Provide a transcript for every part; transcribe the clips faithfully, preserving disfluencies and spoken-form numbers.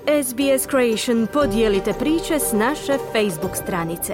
S B S Creation podijelite priče s naše Facebook stranice.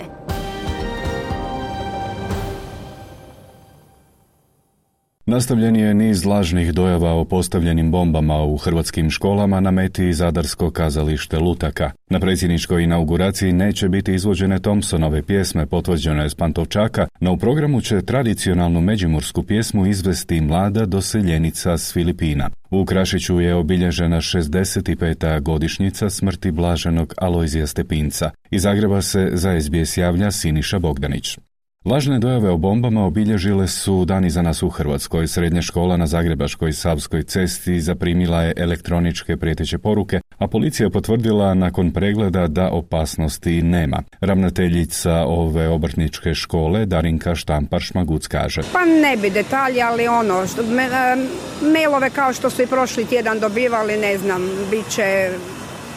Nastavljen je niz lažnih dojava o postavljenim bombama u hrvatskim školama na meti Zadarsko kazalište Lutaka. Na predsjedničkoj inauguraciji neće biti izvođene Thompsonove pjesme potvrđene s Pantovčaka, no u programu će tradicionalnu međimursku pjesmu izvesti mlada doseljenica s Filipina. U Krašiću je obilježena šezdeset peta godišnjica smrti blaženog Alojzija Stepinca. Iz Zagreba se za S B S javlja Siniša Bogdanić. Lažne dojave o bombama obilježile su dan iza nas u Hrvatskoj. Srednja škola na Zagrebačkoj Savskoj cesti zaprimila je elektroničke prijeteće poruke, a policija potvrdila nakon pregleda da opasnosti nema. Ravnateljica ove obrtničke škole Darinka Štampar-Šmaguc kaže: Pa ne bi detalji, ali ono, što, me, mailove kao što su i prošli tjedan dobivali, ne znam, bit će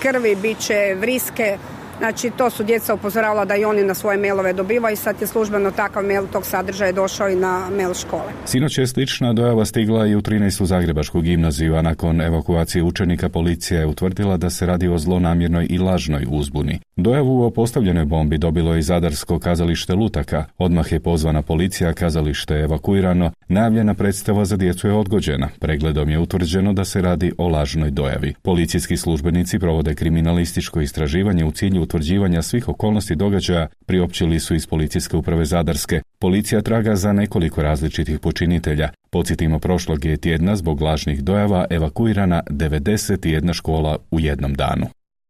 krvi, bit će vriske. Znači, to su djeca upozoravala da i oni na svoje mailove dobivaju i sad je službeno takav mail tog sadržaja došao i na mail škole. Sinoć je slična dojava stigla i u trinaestu Zagrebačku gimnaziju, a nakon evakuacije učenika policija je utvrdila da se radi o zlonamjernoj i lažnoj uzbuni. Dojavu o postavljenoj bombi dobilo je i Zadarsko kazalište Lutaka. Odmah je pozvana policija, kazalište je evakuirano, najavljena predstava za djecu je odgođena. Pregledom je utvrđeno da se radi o lažnoj dojavi. Policijski službenici provode kriminalističko istraživanje u cilju utvrđivanja svih okolnosti događaja, priopćili su iz Policijske uprave Zadarske. Policija traga za nekoliko različitih počinitelja. Podsjetimo, prošlog je tjedna zbog lažnih dojava evakuirana devedeset jedna škola u jednom danu.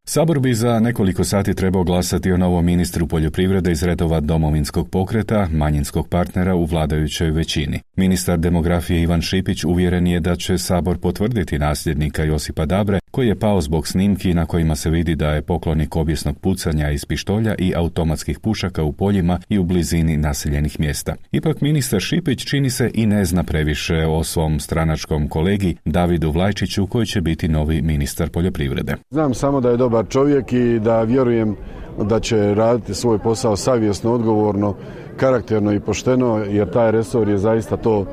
Sabor bi za nekoliko sati trebao glasati o novom ministru poljoprivrede iz redova Domovinskog pokreta, manjinskog partnera u vladajućoj većini. Ministar demografije Ivan Šipić uvjeren je da će Sabor potvrditi nasljednika Josipa Dabre, koji je pao zbog snimki na kojima se vidi da je poklonik obijesnog pucanja iz pištolja i automatskih pušaka u poljima i u blizini naseljenih mjesta. Ipak ministar Šipić čini se i ne zna previše o svom stranačkom kolegi Davidu Vlajčiću, koji će biti novi ministar poljoprivrede. Znam samo da je dobar čovjek i da vjerujem da će raditi svoj posao savjesno, odgovorno, karakterno i pošteno, jer taj resor je zaista to,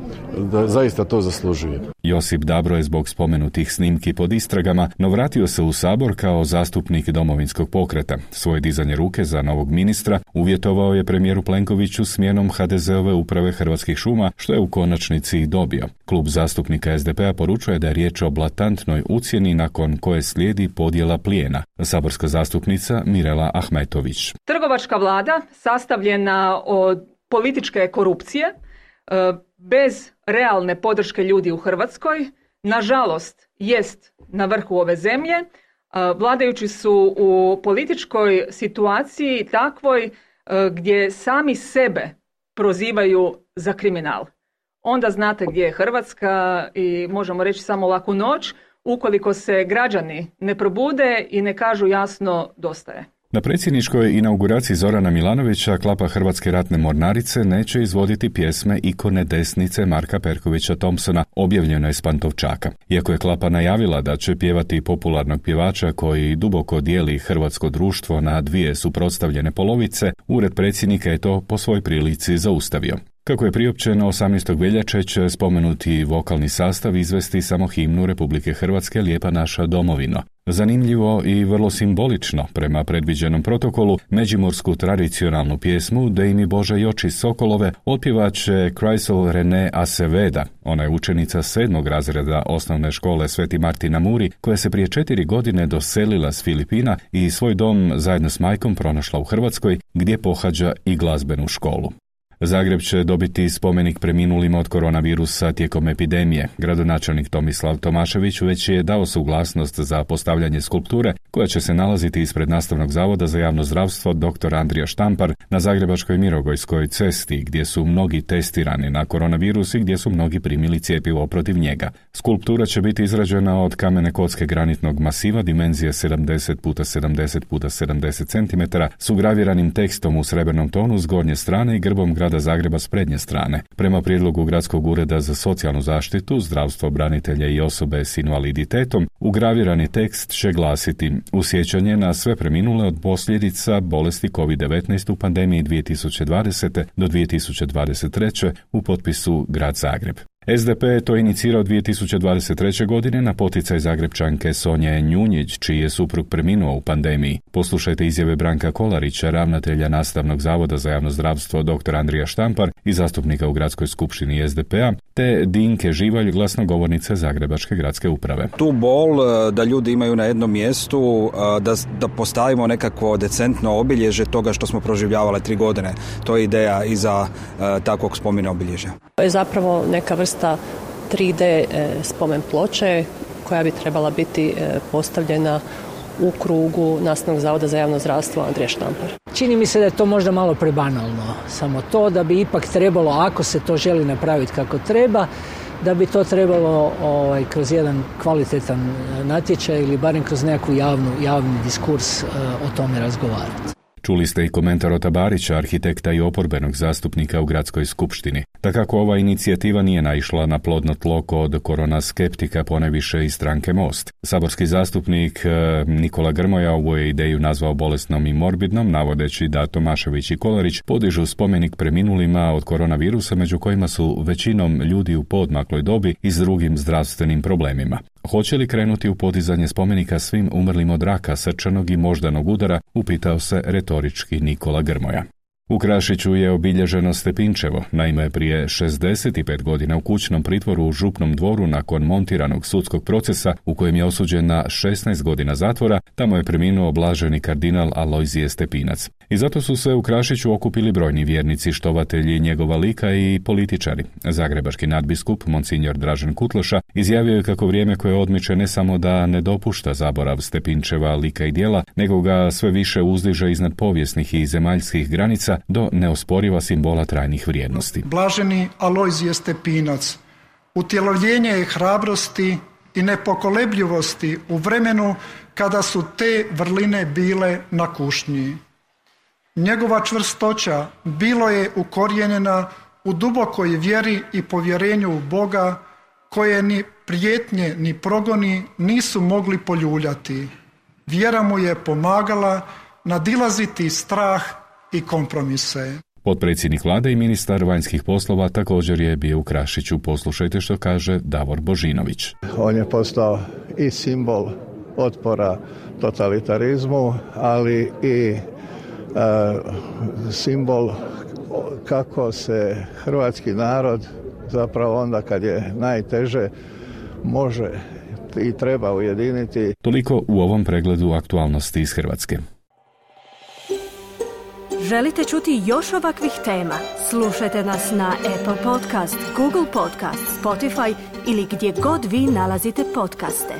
da zaista to zaslužuje. Josip Dabro je zbog spomenutih snimki pod istragama, no vratio se u Sabor kao zastupnik Domovinskog pokreta. Svoje dizanje ruke za novog ministra uvjetovao je premijeru Plenkoviću smjenom ha de zeove uprave Hrvatskih šuma, što je u konačnici i dobio. Klub zastupnika es de pe a poručuje da je riječ o blatantnoj ucjeni nakon koje slijedi podjela plijena. Saborska zastupnica Mirela Ahmetović. Trgovačka vlada sastavljena od političke korupcije, bez realne podrške ljudi u Hrvatskoj, nažalost jest na vrhu ove zemlje. Vladajući su u političkoj situaciji takvoj gdje sami sebe prozivaju za kriminal. Onda znate gdje je Hrvatska i možemo reći samo laku noć ukoliko se građani ne probude i ne kažu jasno dosta je. Na predsjedničkoj inauguraciji Zorana Milanovića klapa Hrvatske ratne mornarice neće izvoditi pjesme ikone desnice Marka Perkovića Thompsona, objavljeno je s Pantovčaka. Iako je klapa najavila da će pjevati popularnog pjevača koji duboko dijeli hrvatsko društvo na dvije suprotstavljene polovice, ured predsjednika je to po svoj prilici zaustavio. Kako je priopćeno, osamnaestog veljače će spomenuti vokalni sastav izvesti samo himnu Republike Hrvatske Lijepa naša domovino. Zanimljivo i vrlo simbolično, prema predviđenom protokolu, međimursku tradicionalnu pjesmu Dej mi Bože joči Sokolove otpjevat će Chrysel René Aceveda. Ona je učenica sedmog razreda osnovne škole Sveti Martin na Muri, koja se prije četiri godine doselila s Filipina i svoj dom zajedno s majkom pronašla u Hrvatskoj, gdje pohađa i glazbenu školu. Zagreb će dobiti spomenik preminulima od koronavirusa tijekom epidemije. Gradonačelnik Tomislav Tomašević već je dao suglasnost za postavljanje skulpture koja će se nalaziti ispred Nastavnog zavoda za javno zdravstvo doktor Andrija Štampar na Zagrebačkoj Mirogojskoj cesti, gdje su mnogi testirani na koronavirus i gdje su mnogi primili cjepivo protiv njega. Skulptura će biti izrađena od kamene kocke granitnog masiva dimenzije sedamdeset puta sedamdeset puta sedamdeset centimetara s ugraviranim tekstom u srebrnom tonu s gornje strane i grbom grada Zagreba s prednje strane. Prema prijedlogu Gradskog ureda za socijalnu zaštitu, zdravstvo branitelja i osobe s invaliditetom, ugravirani tekst će glasiti: u sjećanje na sve preminule od posljedica bolesti kovid devetnaest u pandemiji dvije tisuće dvadesete do dvije tisuće dvadeset treće u potpisu Grad Zagreb. S D P je to inicirao dvije tisuće dvadeset treće. godine na poticaj Zagrebčanke Sonje Njunjić, čiji je suprug preminuo u pandemiji. Poslušajte izjave Branka Kolarića, ravnatelja Nastavnog zavoda za javno zdravstvo dr. Andrija Štampar i zastupnika u Gradskoj skupštini S D P-a, te Dinke Živalj, glasnogovornice Zagrebačke gradske uprave. Tu bol da ljudi imaju na jednom mjestu, da, da postavimo nekakvo decentno obilježje toga što smo proživljavali tri godine. To je ideja iza uh, takvog spomena obilježja. To je zapravo neka vrsta tri D spomen ploče koja bi trebala biti postavljena u krugu Nastavnog zavoda za javno zdravstvo Andrija Štampar. Čini mi se da je to možda malo prebanalno. Samo to da bi ipak trebalo, ako se to želi napraviti kako treba, da bi to trebalo ovaj, kroz jedan kvalitetan natječaj ili barem kroz nekakvu javnu, javni diskurs uh, o tome razgovarati. Čuli ste i komentar Ota Barića, arhitekta i oporbenog zastupnika u Gradskoj skupštini. Takako ova inicijativa nije naišla na plodno tlo kod korona skeptika, ponajviše i stranke Most. Saborski zastupnik Nikola Grmoja ovu je ideju nazvao bolesnom i morbidnom, navodeći da Tomašević i Kolarić podižu spomenik preminulima od koronavirusa, među kojima su većinom ljudi u poodmakloj dobi i s drugim zdravstvenim problemima. Hoće li krenuti u podizanje spomenika svim umrlim od raka, srčanog i moždanog udara, upitao se retorički Nikola Grmoja. U Krašiću je obilježeno Stepinčevo. Naime, prije šezdeset pet godina u kućnom pritvoru u Župnom dvoru nakon montiranog sudskog procesa u kojem je osuđen na šesnaest godina zatvora, tamo je preminuo blaženi kardinal Alojzije Stepinac. I zato su se u Krašiću okupili brojni vjernici, štovatelji njegova lika i političari. Zagrebački nadbiskup, monsinjor Dražen Kutloša, izjavio je kako vrijeme koje odmiče ne samo da ne dopušta zaborav Stepinčeva lika i djela, nego ga sve više uzdiže iznad povijesnih i zemaljskih granica do neosporiva simbola trajnih vrijednosti. Blaženi Alojzije Stepinac, utjelovljenje je hrabrosti i nepokolebljivosti u vremenu kada su te vrline bile na kušnji. Njegova čvrstoća bilo je ukorijenjena u dubokoj vjeri i povjerenju u Boga, koje ni prijetnje ni progoni nisu mogli poljuljati. Vjera mu je pomagala nadilaziti strah i kompromise. Potpredsjednik vlade i ministar vanjskih poslova također je bio u Krašiću. Poslušajte što kaže Davor Božinović. On je postao i simbol otpora totalitarizmu, ali i e, simbol kako se hrvatski narod zapravo onda kad je najteže može i treba ujediniti. Toliko u ovom pregledu aktualnosti iz Hrvatske. Želite čuti još ovakvih tema? Slušajte nas na Apple Podcast, Google Podcast, Spotify ili gdje god vi nalazite podcaste.